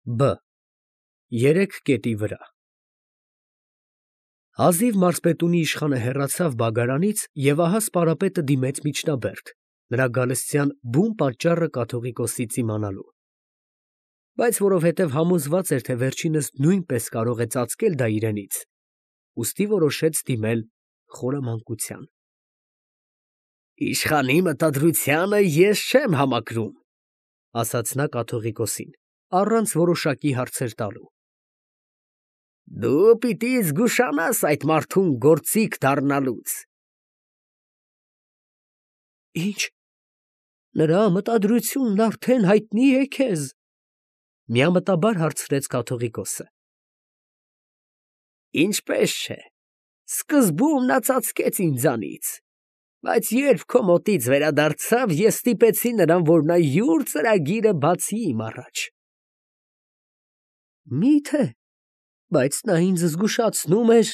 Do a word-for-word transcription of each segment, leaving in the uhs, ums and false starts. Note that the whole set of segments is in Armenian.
Բ. Երեք կետի վրա Հազիվ մարզպետունի իշխանը հեռացավ բագարանից, և ահա սպարապետը դիմեց միջնաբերդ, նրա գալստյան բուն պատճառը կաթողիկոսից իմանալու. Բայց որովհետև համոզված էր, թե վերջինս նույնպես կարող է ծածկել դա իրենից, ուստի որոշեց դիմել խորամանկության։ «Իշխանի մտադրությանը ես չեմ համակրում», ֊ ասաց նա կաթողիկոսին, առանց որոշակի հարցեր տալու։ «Դու պիտի զգուշանաս այդ մարդուն գործիք դառնալուց»։ «Ինչ, նրա մտադրությունն արդեն հայտնի է քեզ, ֊ միամտաբար հարցրեց կաթողիկոսը։ ֊ Ինչպես չէ, սկզբում նա ծածկեց ինձանից, բայց երբ քո մոտից վերադարձավ, ես ստիպեցի նրան, որ նա յուր ծրագիրը բացի իմ առաջ։ Մի՞թե, բայց նա ինձ զգուշացնում էր։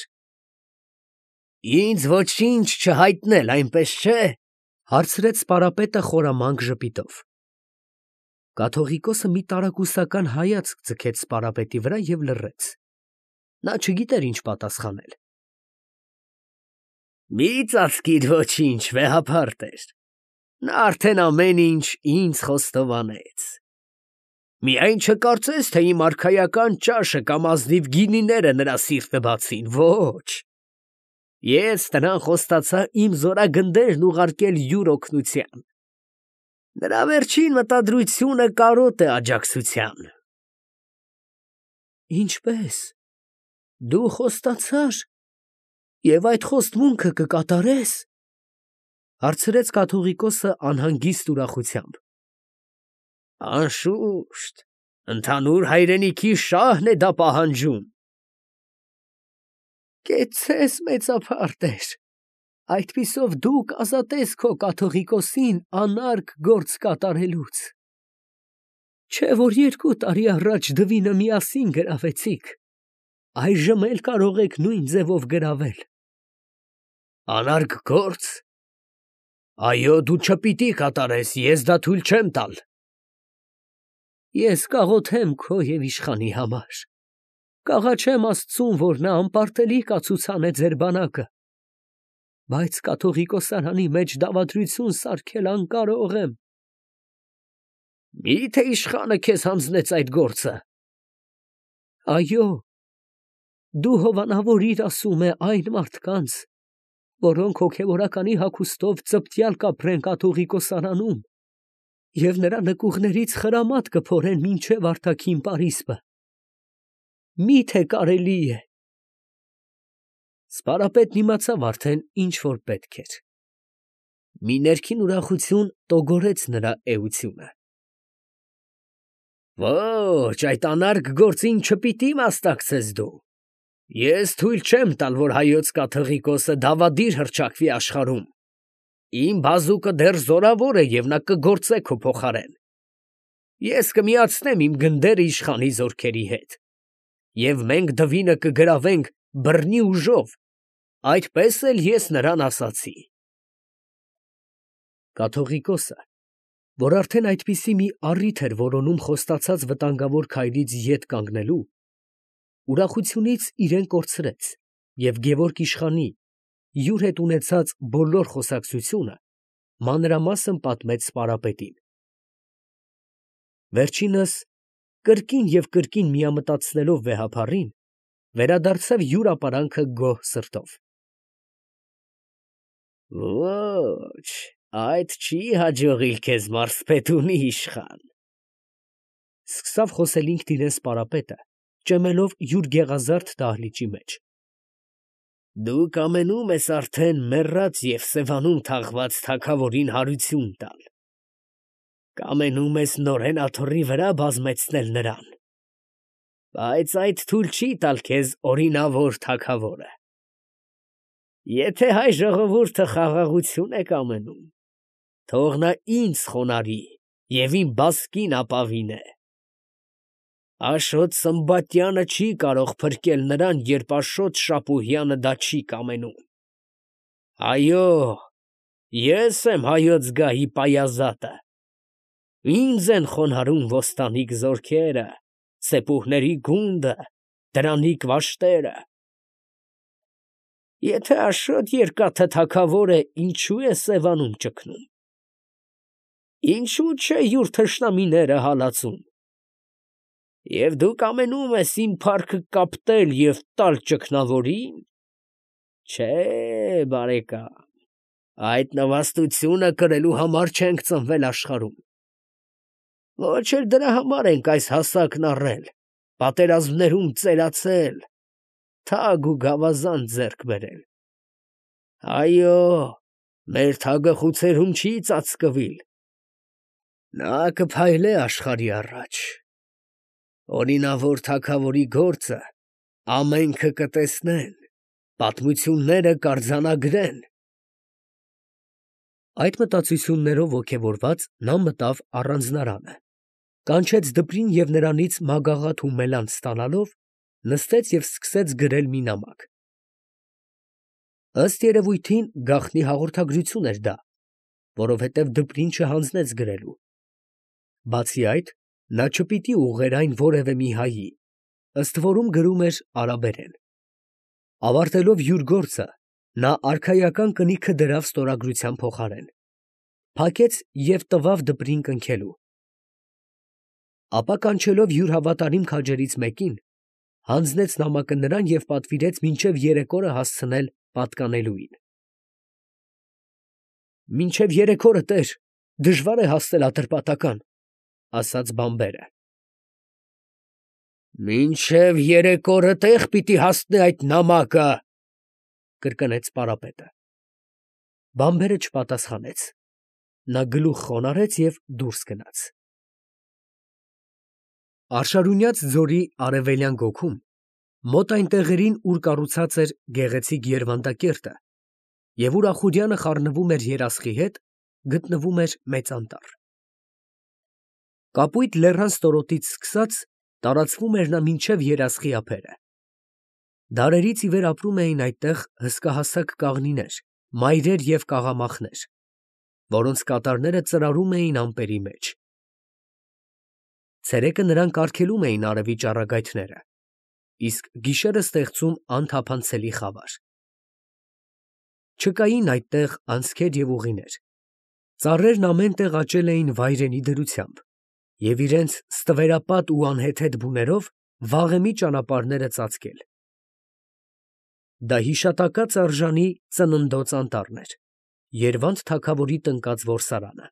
Ինձ ոչինչ չհայտնել, այնպես չէ, ֊ հարցրեց սպարապետը խորամանկ ժպիտով։ Կաթողիկոսը մի տարակուսական հայացք ձգեց սպարապետի վրա և լռեց. նա չգիտեր ինչ պատասխանել։ Մի ծածկիր ոչինչ, վեհափառ տեր, նա արդեն ամեն ինչ ինձ խոստովանեց։ Միայն չկարծես, թե իմ արքայական ճաշը կամ ազնիվ գինիները նրա սիրտը բացին, ոչ, ես նրան խոստացա իմ զորագնդերն ուղարկել յուր օգնության։ Նրա վերջին մտադրությունը կարոտ է աջակցության։ Ինչպե՞ս, դու խոստացա՞ր և այդ խոստմունքը կկատարես, ֊ հարցրեց կաթողիկոսը անհանգիստ ուրախությամբ։ Անշուշտ, ընդհանուր հայրենիքի շահն է դա պահանջում։ Կեցցես, մեծափառ տեր, այդպիսով դու կազատես քո կաթողիկոսին անարգ գործ կատարելուց։ Չէ որ երկու տարի առաջ դվինը միասին գրավեցիք, այժմ էլ կարող եք նույն ձևով գրավել։ Անարգ գործ։ Այո, դու չպիտի կատարես, ես դա թույլ չեմ տալ։ Ես կաղոթեմ քո և իշխանի համար, կաղաչեմ Աստծուն, որ նա անպարտելի կացուցանե ձեր բանակը, բայց կաթողիկոսարանի մեջ դավադրություն սարքել անկարող եմ։ Մի՞թե իշխանը քեզ հանձնեց այդ գործը։ Այո, դու հովանավորիր, ասում է, այն մարդկանց, որոնք հոգևորականի հագուստով ծպտյալ կապրեն կաթողիկոսարանում և նրա նկուղներից խրամատ կփորեն մինչև արտաքին պարիսպը։ Մի՞թե կարելի է։ Սպարապետն իմացավ արդեն, ինչ որ պետք էր։ Մի ներքին ուրախություն տոգորեց նրա էությունը։ Ոչ, այդ անարգ գործին չպիտի մասնակցես դու։ Ես թույլ չեմ տալ, որ հայոց կաթողիկոսը դավադիր հռչակվի աշխարհում։ Իմ բազուկը դեռ զորավոր է և նա կգործե քո փոխարեն։ Ես կմիացնեմ իմ գնդերը իշխանի զորքերի հետ, և մենք դվինը կգրավենք բռնի ուժով, այդպես էլ ես նրան ասացի։ Կաթողիկոսը, որ արդեն այդպիսի մի առիթ էր որոնում խոստացած վտանգավոր քայլից ետ կանգնելու, ուրախությունից իրեն կորցրեց և Գևորգ իշխանի յուր հետ ունեցած բոլոր խոսակցությունը մանրամասն պատմեց սպարապետին։ Վերջինս, կրկին և կրկին միամտածնելով վեհափառին, վերադարձավ յուր ապարանքը գոհ սրտով։ Ոչ, այդ չի հաջողիլ քեզ, մարզպետունի իշխան, ֊ սկսավ խոսել ինքն իրեն սպարապետը, ճեմելով յուր գեղազարդ դահլիճի մեջ։ Դու կամենում ես արդեն մեռած և սևանում թաղված թագավորին հարություն տալ, կամենում ես նորեն աթոռի վրա բազմեցնել նրան, բայց այդ թույլ չի տալ քեզ օրինավոր թագավորը։ Եթե հայ ժողովուրդը խաղաղություն է կամենում, թող նա ինձ խոնարհի և իմ բասկին ապավինե։ Աշոտ Սմբատյանը չի կարող փրկել նրան, երբ Աշոտ Շապուհյանը դա չի կամենում։ Այո, ես եմ հայոց գահի պայազատը, ինձ են խոնարհում ոստանիք զորքերը, սեպուհների գունդը, դրանիկ վաշտերը։ Եթե Աշոտ Երկաթը թագավոր է, ինչու է Սևանում ճգնում, ինչու չէ յուր թշնամիները հալածում, և դու կամենում ես իմ փառքը կապտել և տալ ճգնավորին. չէ, բարեկամ, այդ նվաստությունը կրելու համար չենք ծնվել աշխարհում, ոչ էլ դրա համար ենք այս հասակն առել, պատերազմներում ծերացել, թագ ու գավազան ձեռք բերել. այո, մեր թագը խուցերում չի ծածկվիլ, նա կփայլե աշխարհի առաջ, օրինավոր թագավորի գործը ամենքը կտեսնեն, պատմությունները կարձանագրեն։ Այդ մտածություններով ոգևորված նա մտավ առանձնարանը, կանչեց դպրին և նրանից մագաղաթ ու մելանց ստանալով, նստեց և սկսեց գրել մի նամակ։ Ըստ երևույթին գաղտնի հաղորդագրություն էր դա, որովհետև դպրին չհանձնեց գրելու։ Բացի այդ, նա չպիտի ուղղեր այն որևէ մի հայի, ըստ որում գրում էր արաբերեն։ Ավարտելով յուր գործը, նա արքայական կնիքը դրավ ստորագրության փոխարեն, փակեց և տվավ դպրին կնքելու։ Ապա կանչելով յուր հավատարիմ քաջերից մեկին, հանձնեց նամակը նրան և պատվիրեց մինչև երեկորը հասցնել պատկանելուին։ ֊ Մինչև երեկորը, տեր, դժվար է հասնել Ատրպատական, ֊ ասաց բանբերը։ ֊ Մինչև երեկորը տե՞ղ պիտի հասնե այդ նամակը, ֊ կրկնեց պարապետը։ Բանբերը չպատասխանեց, նա գլուխ խոնարհեց և դուրս գնաց։ Արշարունյաց ձորի արևելյան գոգում, մոտ այն տեղերին, ուր կառուցած էր գեղեցիկ Երվանդակերտը, և ուր Ախուրյանը խառնվում էր երասխի հետ, գտնվում էր մեծ անտառ։ Կապույտ լեռան ստորոտից սկսած տարածվում էր նա մինչև երասխի ափերը։ Դարերից ի վեր ապրում էին այդտեղ հսկահասակ կաղնիներ, մայրեր և կաղամախներ, որոնց կատարները ծրարում էին ամպերի մեջ։ Ցերեկը նրանք արգելում էին արևի ճառագայթները, իսկ գիշերը ստեղծում անթափանցելի խավար։ Չկային այդտեղ անցքեր և ուղիներ, ծառերն ամեն տեղ աճել էին վայրենի դրությամբ և իրենց ստվերապատ ու անհեթեթ բուներով վաղեմի ճանապարհները ծածկել։ Դա հիշատակած արժանի Ծննդոց անտառն էր, Երվանդ թագավորի տնկած որսարանը։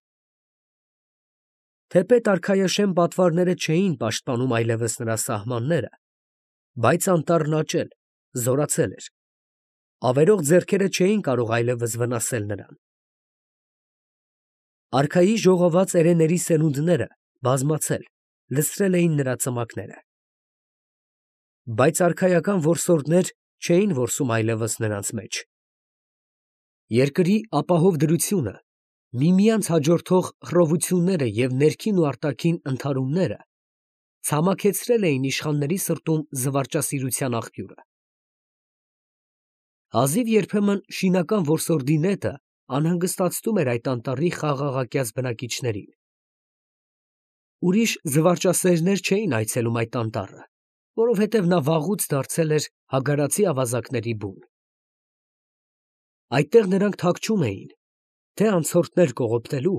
Թեպետ արքայաշեն պատվարները չէին պաշտպանում այլևս նրա սահմանները, բայց անտառն աճել, զորացել էր, ավերող ձեռքերը չէին կարող այլևս վնասել նրան։ Արքայի ժողոված էրեների սերունդները բազմացել, լցրել էին նրա ծմակները։ Բայց արքայական որսորդներ չէին որսում այլևս նրանց մեջ։ Երկրի ապահով դրությունը, միմյանց հաջորդող խռովությունները և ներքին ու արտաքին ընդհարումները ցամաքեցրել էին իշխանների սրտում զվարճասիրության աղբյուրը։ Հազիվ երբեմն շինական որսորդի նետը անհանգստացնում էր այդ անտառի խաղաղակյաց բնակիչներին։ Ուրիշ զվարճասերներ չէին այցելում այդ անտառը, որովհետև նա վաղուց դարձել էր հագարացի ավազակների բուն։ Այդտեղ նրանք թաքչում էին, թե անցորդներ կողոպտելու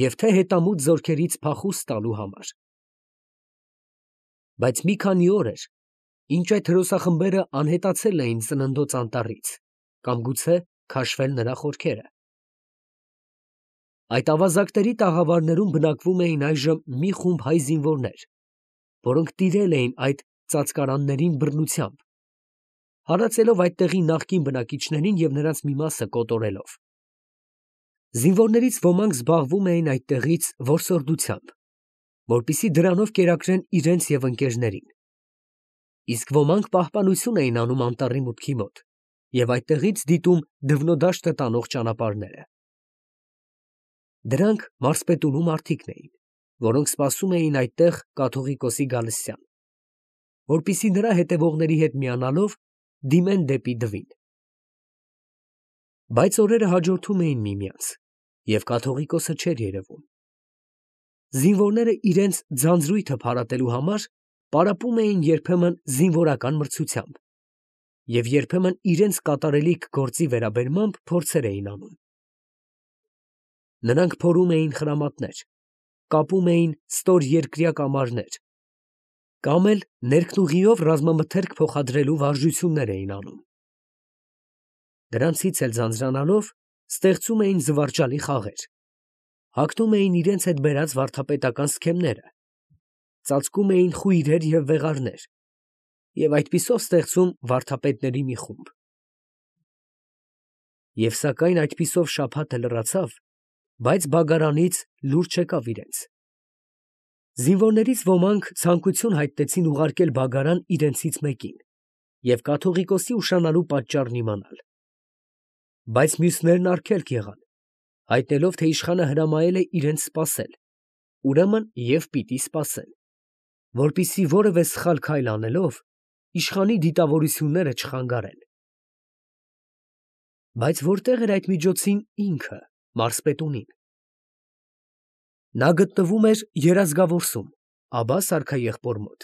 և թե հետամուտ զորքերից փախուստ տալու համար։ Բայց մի քանի օր էր, ինչ այդ հրոսախմբերը անհետացել էին Ծննդոց անտառից կամ գուցե քաշվել նրա խորքերը։ Այդ ավազակների տաղավարներում բնակվում էին այժմ մի խումբ հայ զինվորներ, որոնք տիրել էին այդ ծածկարաններին բռնությամբ, հարածելով այդտեղի նախկին բնակիչներին և նրանց մի մասը կոտորելով։ Զինվորներից ոմանք զբաղվում էին այդտեղից որսորդությամբ, որպեսզի դրանով կերակրեն իրենց և ընկերներին, իսկ ոմանք պահպանություն էին անում անտառի մուտքի մոտ և այդտեղից դիտում դվնոդաշտը տանող ճանապարհները։ Դրանք մարզպետունու մարդիկն էին, որոնք սպասում էին այդտեղ կաթողիկոսի գալստյան, որպեսզի նրա հետևողների հետ միանալով դիմեն դեպի Դվին։ Բայց օրերը հաջորդում էին միմյանց, և կաթողիկոսը չէր երևում։ Զինվորները իրենց ձանձրույթը փարատելու համար պարապում էին երբեմն զինվորական մրցությամբ և երբեմն իրենց կատարելիք գործի վերաբերմամբ փորձեր էին անում. նրանք փորում էին խրամատներ, կապում էին ստոր երկրյա կամարներ կամ էլ ներքնուղիով ռազմամթերք փոխադրելու վարժություններ էին անում. դրանցից էլ ձանձրանալով ստեղծում էին զվարճալի խաղեր, հագնում էին իրենց հետ բերած վարդապետական սքեմները, ծածկում էին խույրեր և վեղարներ և այդպիսով ստեղծում վարդապետների մի խումբ. և սակայն այդպիսով շաբաթը լրացավ, բայց բագարանից լուր չեկավ իրենց. զինվորներից ոմանք ցանկություն հայտնեցին ուղարկել բագարան իրենցից մեկին և կաթողիկոսի ուշանալու պատճառն իմանալ. բայց մյուսներն արգելք եղան, հայտնելով, թե իշխանը հրամայել է իրենց սպասել, ուրեմն և պիտի սպասեն, որպեսզի որևէ սխալ քայլ անելով, իշխանի դիտավորությունները չխանգարեն. բայց որտե՞ղ էր այդ միջոցին ինքը, մարզպետունին. նա գտնվում էր Երազգավորսում, Աբբաս արքաեղբոր մոտ.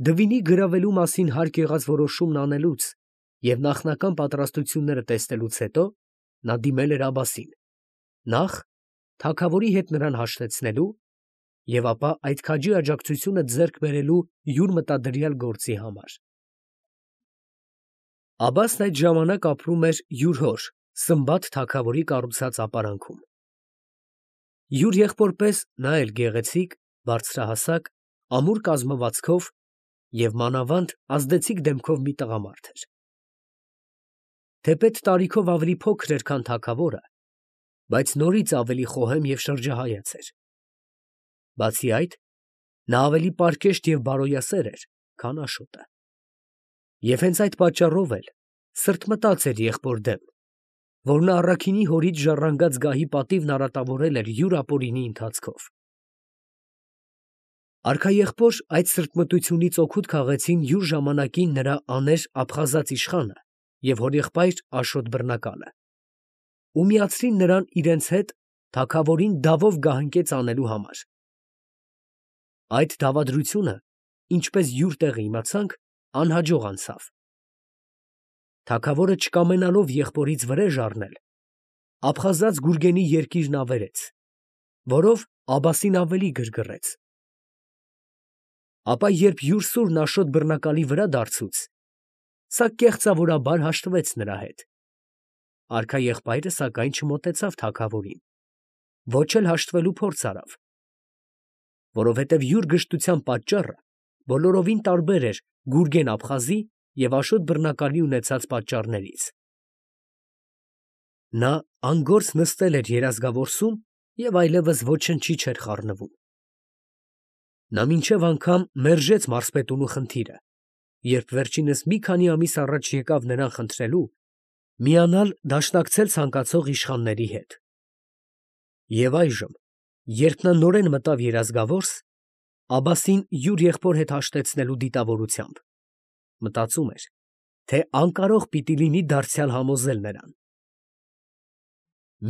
դվինի գրավելու մասին հարկ եղած որոշումն անելուց և նախնական պատրաստությունները տեսնելուց հետո նա դիմել էր Աբբասին, նախ թագավորի հետ նրան հաշտեցնելու և ապա այդ քաջի աջակցությունը ձեռք բերելու յուր մտադրյալ գործի համար. Աբբասն այդ ժամանակ ապրում էր յուր հոր Սմբաթ թագավորի կառուցած ապարանքում. յուր եղբոր պես նա էլ գեղեցիկ, բարձրահասակ, ամուր կազմվածքով և մանավանդ ազդեցիկ դեմքով մի տղամարդ էր. թեպետ տարիքով ավելի փոքր էր, քան թագավորը, բայց նորից ավելի խոհեմ և շրջահայաց էր. բացի այդ, նա ավելի պարկեշտ և բարոյասեր էր, քան Աշոտը. և հենց այդ պատճառով էլ սրտմտած էր եղբոր դեմ, որ նա առաքինի հորից ժառանգած գահի պատիվն արատավորել էր յուր ապօրինի ընթացքով. արքաեղբոր այդ սրտմտությունից օգուտ քաղեցին յուր ժամանակին նրա աներ աբխազած իշխանը և հորեղբայր Աշոտ բռնակալը, ու միացրին նրան իրենց հետ թագավորին դավով գահընկեց անելու համար. այդ դավադրությունը, ինչպես յուր տեղը իմացանք, անհաջող անցավ. թագավորը չկամենալով եղբորից վրեժ առնել, աբխազած Գուրգենի երկիրն ավերեց, որով Աբբասին ավելի գրգռեց. ապա երբ յուր սուրն Աշոտ բռնակալի վրա դարձուց, սա կեղծավորաբար հաշտվեց նրա հետ. արքաեղբայրը սակայն չմոտեցավ թագավորին, ոչ էլ հաշտվելու փորձ արավ, որովհետև յուր գժտության պատճառը բոլորովին տարբեր էր Գուրգեն֊Աբխազի և Աշոտ բռնակալի ունեցած պատճառներից. նա անգործ նստել էր Երազգավորսում և այլևս ոչնչի չէր խառնվում. նա մինչև անգամ մերժեց մարզպետունու խնդիրը, երբ վերջինս մի քանի ամիս առաջ եկավ նրան խնդրելու միանալ դաշնակցել ցանկացող իշխանների հետ. և այժմ, երբ նա նորեն մտավ Երազգավորս, Աբբասին յուր եղբոր հետ հաշտեցնելու դիտավորությամբ, մտածում էր, թե անկարող պիտի լինի դարձյալ համոզել նրան.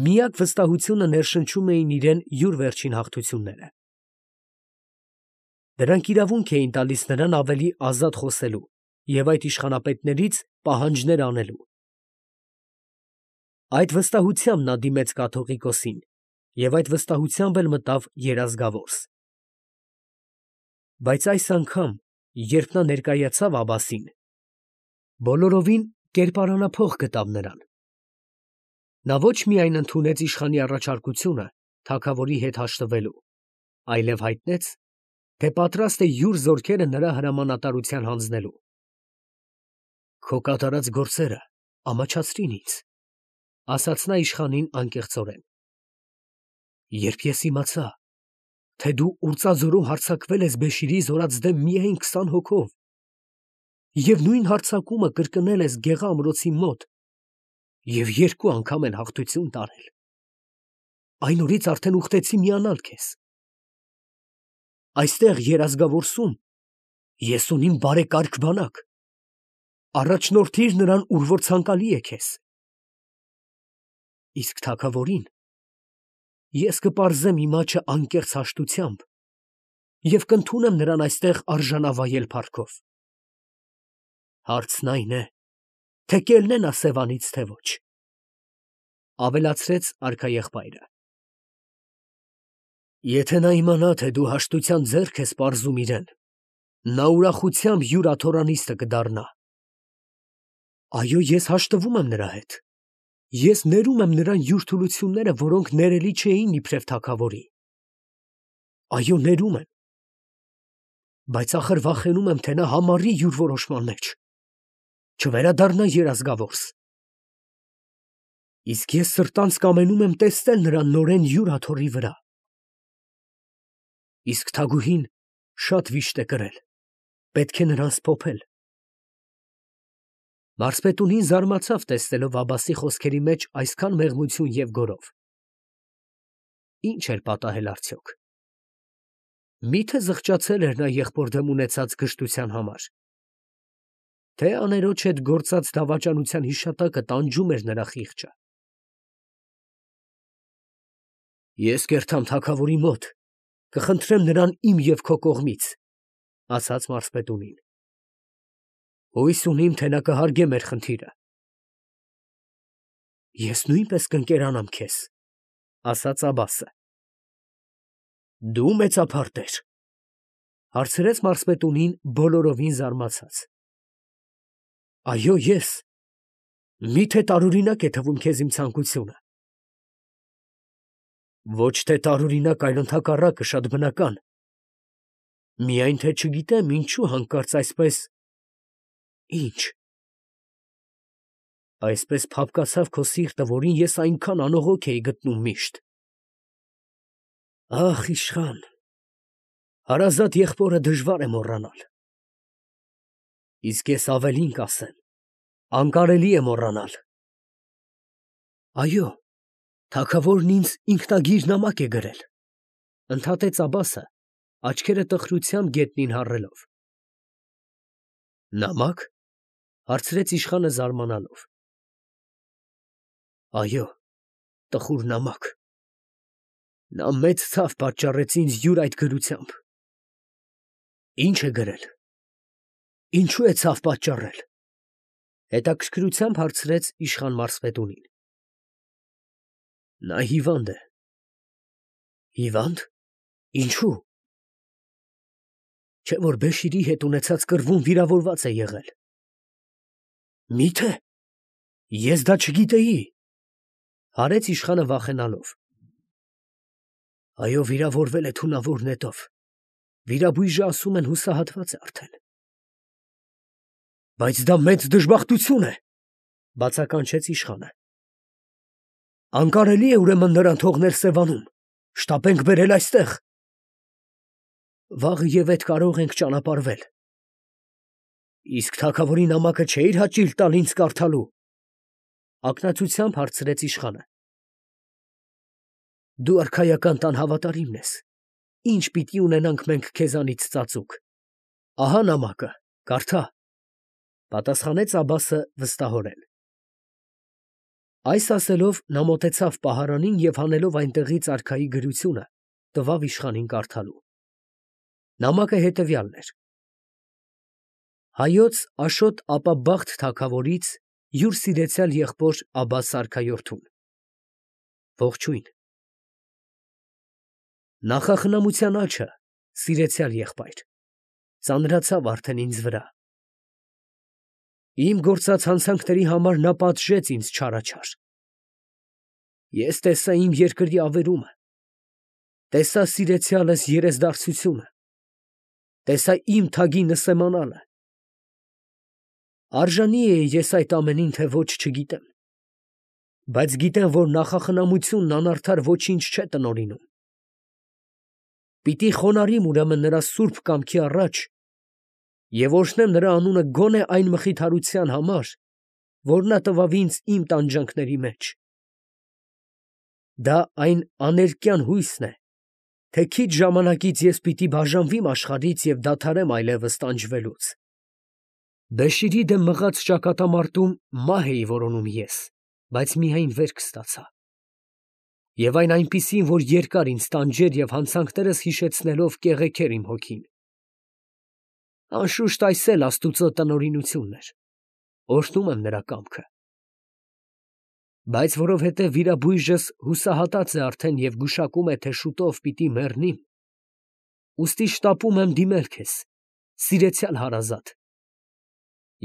միակ վստահությունը ներշնչում էին իրան յուր վերջին հաղթությունները. դրանք իրավունք էին տալիս նրան ավելի ազատ խոսելու և այդ իշխանապետներից պահանջներ անելու. այդ վստահությամբ նա դիմեց կաթողիկոսին և այդ վստահությամբ էլ մտավ Երազգավորս. բայց այս անգամ, երբ նա ներկայացավ Աբբասին, բոլորովին կերպարանափոխ գտավ նրան. նա ոչ միայն ընդունեց իշխանի առաջարկությունը թագավորի հետ հաշտվելու, այլև հայտնեց, թե պատրաստ է յուր զորքերը նրա հրամանատարության հանձնելու. «Քո կատարած գործերը ամաչացրին ինձ», ֊ ասաց նա իշխանին անկեղծորեն. «երբ ես իմացա, թե դու Ուրྩազորում հարձակվել ես Բեշիրի զորած դեմ միայն քսան հոգով և նույն հարձակումը կրկնել ես Գեղա ամրոցի մոտ և երկու անգամ էլ հաղթություն տարել, այն օրից արդեն ուխտեցի միանալ քեզ. այստեղ Երազգավորսում ես ունիմ բարեկարգ բանակ, առաջնորդիր նրան, ուր որ ցանկալի է քեզ, իսկ թագավորին ես կպարզեմ իմ աճը անկեղծ հաշտությամբ և կընդունեմ նրան այստեղ արժանավայել փառքով։ Հարցն այն է, թե կելնե նա Սևանից, թե ոչ, ավելացրեց արքաեղբայրը։ Եթե նա իմանա, թե դու հաշտության ձեռք ես պարզում իրան, նա ուրախությամբ յուր աթոռանիստը կդառնա։ Այո, ես հաշտվում եմ նրա հետ։ Ես ներում եմ նրան յուր թուլությունները, որոնք ներելի չէին իբրև թագավորի։ Այո, ներում եմ, բայց ախր վախենում եմ, թե նա համառի յուր որոշման մեջ, չվերադառնա երազգավորս։ Իսկ ես սրտանց կամենում եմ տեսնել նրան նորեն յուր աթոռի վրա։ Իսկ թագուհին շատ վիշտ է կրել, պետք է նրան սփոփել։ Մարսպետունին զարմացավ, տեսնելով Աբբասի խոսքերի մեջ այսքան մեղմություն և գոռով։ Ինչ էր պատահել արդյոք։ Մի՞թե զղջացել էր նա եղբոր դեմ ունեցած գժտության համար, թե աներոջ հետ գործած դավաճանության հիշատակը տանջում էր նրա խիղճը։ Ես կերթամ թագավորի մոտ, կխնդրեմ նրան իմ և քո կողմից, ասաց մարսպետունին։ Հույս ունիմ, թե նա կհարգե մեր խնդիրը։ Ես նույնպես կընկերանամ քեզ, ասաց Աբբասը։ Դու մեծափարտ ես, հարցրեց մարսպետունին բոլորովին զարմացած։ Այո, ես, մի՞թե տարօրինակ է թվում քեզ իմ ցանկությունը։ Ոչ թե տարօրինակ, այլ ընդհակառակը, շատ բնական։ Միայն թե չգիտեմ ինչու հանկարծ այսպես… Ի՞նչ։ Այսպես փափկացավ քո սիրտը, որին ես այնքան անողոք էի գտնում միշտ։ Ախ, իշխան, հարազատ եղբորը դժվար է մոռանալ։ Իսկ ես ավելին կասեմ, անկարելի է մոռանալ։ Այո, թագավորն ինձ ինքնագիր նամակ է գրել, ընդհատեց Աբբասը, աչքերը տխրությամբ գետնին հառելով։ Նամա՞կ, հարցրեց իշխանը զարմանալով։ Այո, տխուր նամակ։ Նա մեծ ցավ պատճառեց ինձ յուր այդ գրությամբ։ Ի՞նչ է գրել։ Ինչու է ցավ պատճառել, հետաքրքրությամբ հարցրեց իշխան մարսպետունին։ Նա հիվանդ է։ Հիվա՞նդ, ինչու։ Չէ՞ որ Բեշիրի հետ ունեցած կռվում վիրավորված է եղել։ Մի՞թե։ Ես դա չգիտեի, հարեց իշխանը վախենալով։ Այո, վիրավորվել է թունավոր նետով, վիրաբույժը ասում են հուսահատված է արդեն։ Բայց դա մեծ դժբախտություն է, բացականչեց իշխանը։ Անկարելի է ուրեմն նրան թողնել Սևանում, շտապենք բերել այստեղ։ Վաղը և ետ կարող ենք ճանապարհվել։ Իսկ թագավորի նամակը չէիր հաճիլ տալ ինձ կարդալու, ակնածությամբ հարցրեց իշխանը։ Դու արքայական տան հավատարիմն ես, ինչ պիտի ունենանք մենք քեզանից ծածուկ։ Ահա նամակը, կարդա, պատասխանեց Աբբասը վստահորեն։ Այս ասելով նա մոտեցավ պահարանին և հանելով այնտեղից արքայի գրությունը, տվավ իշխանին կարդալու։ Նամակը հետևյալն էր. Հայոց Աշոտ Ապա-Բախտ թագավորից յուր սիրեցյալ եղբոր Աբբաս արքայորդուն։ Ողջույն։ Նախախնամության աջը, սիրեցյալ եղբայր, ծանրացավ արդեն ինձ վրա։ Իմ գործած հանցանքների համար նա պատժեց ինձ չարաչար։ Ես տեսա իմ երկրի ավերումը, տեսա սիրեցյալս երեսդարձությունը, տեսա իմ թագի նսեմանալը։ Արժանի էի ես այդ ամենին, թե ոչ չգիտեմ, բայց գիտեմ, որ նախախնամությունն անարդար ոչինչ չէ տնօրինում։ Պիտի խոնարհիմ ուրեմն նրա սուրբ կամքի առաջ և օրհնեմ նրա անունը գոնե այն մխիթարության համար, որ նա տվավ ինձ իմ տանջանքների մեջ։ Դա այն աներկյան հույսն է, թե քիչ ժամանակից ես պիտի բաժանվիմ աշխարհից և դադարեմ այլևս տանջվելուց։ Բեշիրի դեմ մղած ճակատամարտում մահ էի որոնում ես, բայց միայն վերք ստացա։ Եվ այն այնպիսին, որ երկար ինձ տանջեր և հանցանքներս հիշեցնելով կեղեքեր իմ հոգին։ Անշուշտ այս էլ աստուծո տնօրինությունն էր, օրհնում եմ նրա կամքը։ Բայց որովհետև վիրաբույժս հուսահատած է արդեն և գուշակում է, թե շուտով պիտի մեռնիմ, ուստի շտապում եմ դիմել քեզ, սիրեցյալ հարազատ,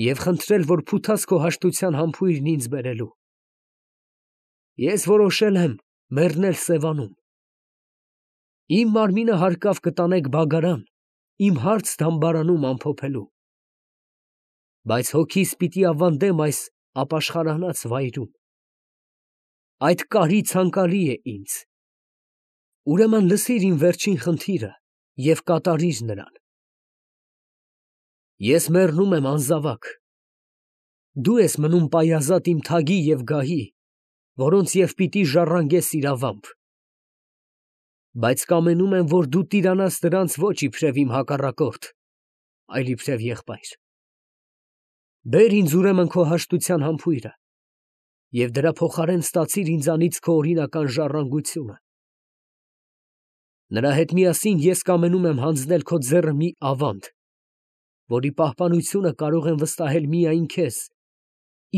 և խնդրել, որ փութաս քո հաշտության համբույրն ինձ բերելու։ Ես որոշել եմ մեռնել Սևանում։ Իմ մարմինը հարկավ կտանեք բագարան, իմ հարց դամբարանում ամփոփելու։ Բայց հոգիս պիտի ավանդեմ այս ապաշխարանած վայրում։ Այդ կարի ցանկալի է ինձ։ Ուրեմն լսիր իմ վերջին խնդիրը և կատարիր նրան։ Ես մեռնում եմ անզավակ։ Դու ես մնում պայազատ իմ թագի և գահի, որոնց և պիտի ժառանգես իրավամբ։ Բայց կամենում եմ, որ դու տիրանաս նրանց ոչ իբրև իմ հակառակորդ, այլ իբրև եղբայր։ Բեր ինձ ուրեմն քո հաշտության համբույրը և դրա փոխարեն ստացիր ինձանից քո օրինական ժառանգությունը։ Նրա հետ միասին ես կամենում եմ հանձնել քո ձեռը մի ավանդ, որի պահպանությունը կարող եմ վստահել միայն քեզ,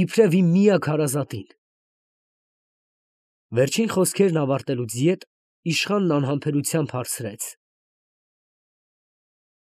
իբրև իմ միակ հարազատին։ Վերջին խոսքերն ավարտելուց ետ իշխանն անհամբերությամբ հարցրեց.